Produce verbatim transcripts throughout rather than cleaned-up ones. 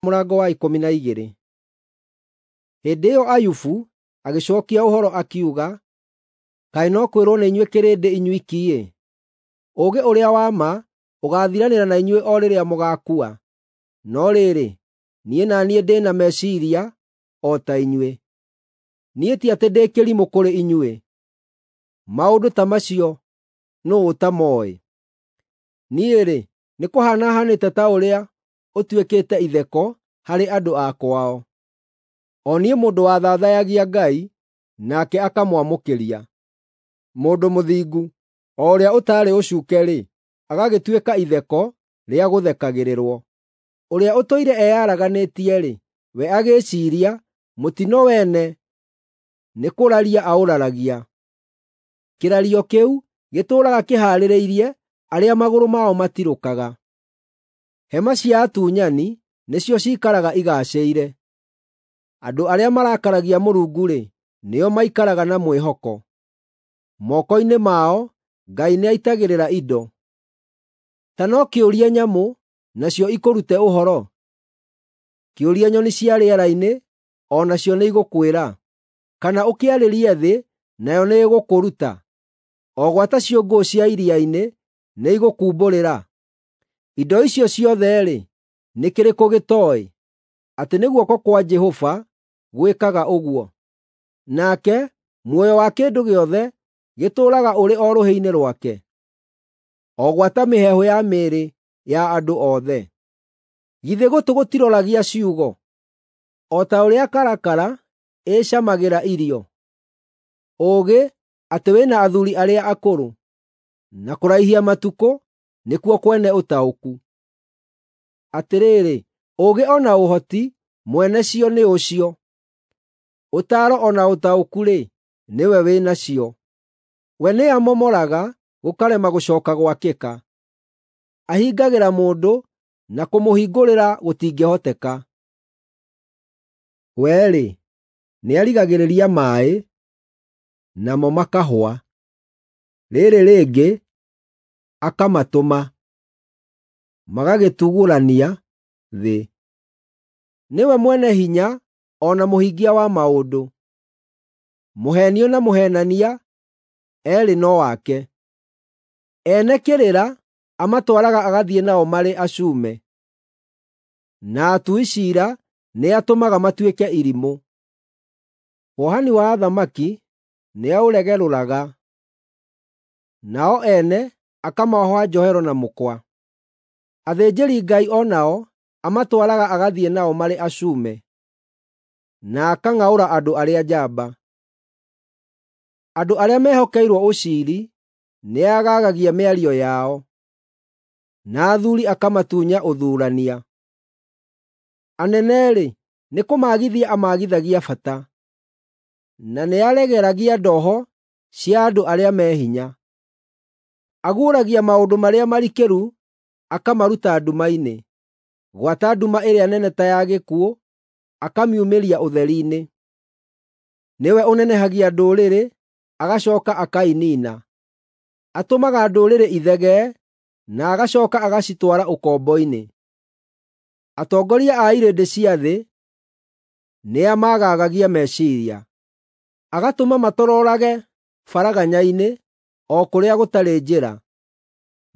Mũrango wa ikũmi na igĩrĩ. Hĩndĩ ĩyo Ayubu agĩcookia ũhoro akiuga, “Kaĩ no kwĩrwo nĩ inyuĩ kĩrĩndĩ inyuiki-ĩ! Ũũgĩ ũrĩa wa ma ũgaathiranĩra na inyuĩ o rĩrĩa mũgaakua. No rĩrĩ, niĩ na niĩ ndĩ na meciiria o ta inyuĩ; niĩ ti atĩ ndĩ kĩrimũ kũrĩ inyuĩ. Maũndũ ta macio nũũ ũtamooĩ? Niĩ-rĩ, nĩkũhaana haanĩte ta ũrĩa ũtuĩkĩte itheko harĩ andũ a kwao, o niĩ mũndũ wathaathayagia Ngai, nake akamwamũkĩria. Mũndũ mũthingu, o ũrĩa ũtaarĩ ũcuuke-rĩ, agagĩtuĩka itheko rĩa gũthekagĩrĩrwo. Ũrĩa ũtũire eyaraganĩtie-rĩ, we agĩĩciiria, mũtino wene nĩkũraria aũraragia. Kĩrario kĩu gĩtũũraga kĩhaarĩirie arĩa magũrũ mao matirũkaga. Hema cia atunyani nĩcio ciikaraga igaacĩire. Andũ arĩa marakaragia Mũrungu-rĩ, nĩo maikaraga na mwĩhoko. Moko-inĩ mao Ngai nĩaitagĩrĩra indo. Ta no kĩũrie nyamũ, nacio ikũrute ũhoro; kĩũrie nyoni cia rĩera-inĩ, o nacio nĩigũkwĩra; kana ũkĩarĩrie thĩ, nayo nĩĩgũkũruta, o gwata ciũngũyũ cia iria-inĩ nĩigũkumbũrĩra. Indo icio ciothe-rĩ, nĩ kĩrĩkũ gĩtooĩ, atĩ nĩ guoko kwa Jehova gwĩkaga ũguo? Nake muoyo wa kĩndũ gĩothe gĩtũũraga ũrĩ o rũhĩ-inĩ rwake, o gwata mĩheehũ ya mĩĩrĩ ya andũ othe. Githĩ gũtũ gũtiroragia ciugo, o ta ũrĩa karakara ĩĩcamagĩra irio? Ũũgĩ, atĩ wĩ na athuuri arĩa akũrũ, na kũraihia matukũ nĩkuo kwene ũtaũku. Atĩrĩrĩ, ũũgĩ o na ũhoti mwene cio nĩ ũcio; ũtaaro o na ũtaũku-rĩ, nĩwe wĩ nacio. We nĩamomoraga gũkarema gũcooka gwakĩka; ahingagĩra mũndũ na kũmũhingũrĩra gũtingĩhoteka. We-rĩ, nĩarigagĩrĩria maaĩ, namo makahũa; rĩĩrĩ rĩngĩ akamatũma, magagĩtugũrania thĩ. Nĩwe mwene hinya o na mũhingia wa maũndũ; mũheenio na mũheenania eerĩ no ake. Ene kĩrĩra amatwaraga agathiĩ nao marĩ acume, na atui ciira nĩatũmaga matuĩke irimũ. Wohani wa athamaki nĩaũregerũraga, nao ene akamooha njohero na mũkwa. Athĩnjĩri-Ngai o nao amatwaraga agathiĩ nao marĩ acume, na akang'aũra andũ arĩa njamba. Andũ arĩa mehokeirwo ũciiri nĩagaagagia mĩario yao, na athuuri akamatunya ũthuurania. Anene-rĩ, nĩkũmaagithia amaagithagia bata, na nĩaregeragia ndoho cia andũ arĩa me hinya. Aguũragia maũndũ marĩa marikĩru akamaruta nduma-inĩ, gwata nduma ĩrĩa nene ta ya gĩkuũ akamiumĩria ũtheri-inĩ. Nĩwe ũnenehagia ndũrĩrĩ agacooka akainiina; atũmaga ndũrĩrĩ ithegee na agacooka agacitwara ũkombo-inĩ. Atongoria a irĩndĩ cia thĩ nĩamagaagagia meciiria, agatũma matororage baraganya-inĩ o kũrĩa gũtarĩ njĩra,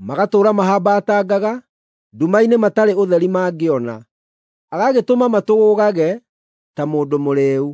magatũũra mahambatangaga nduma-inĩ matarĩ ũtheri mangĩona, agagĩtũma matũgũũgage ta mũndũ mũrĩĩu.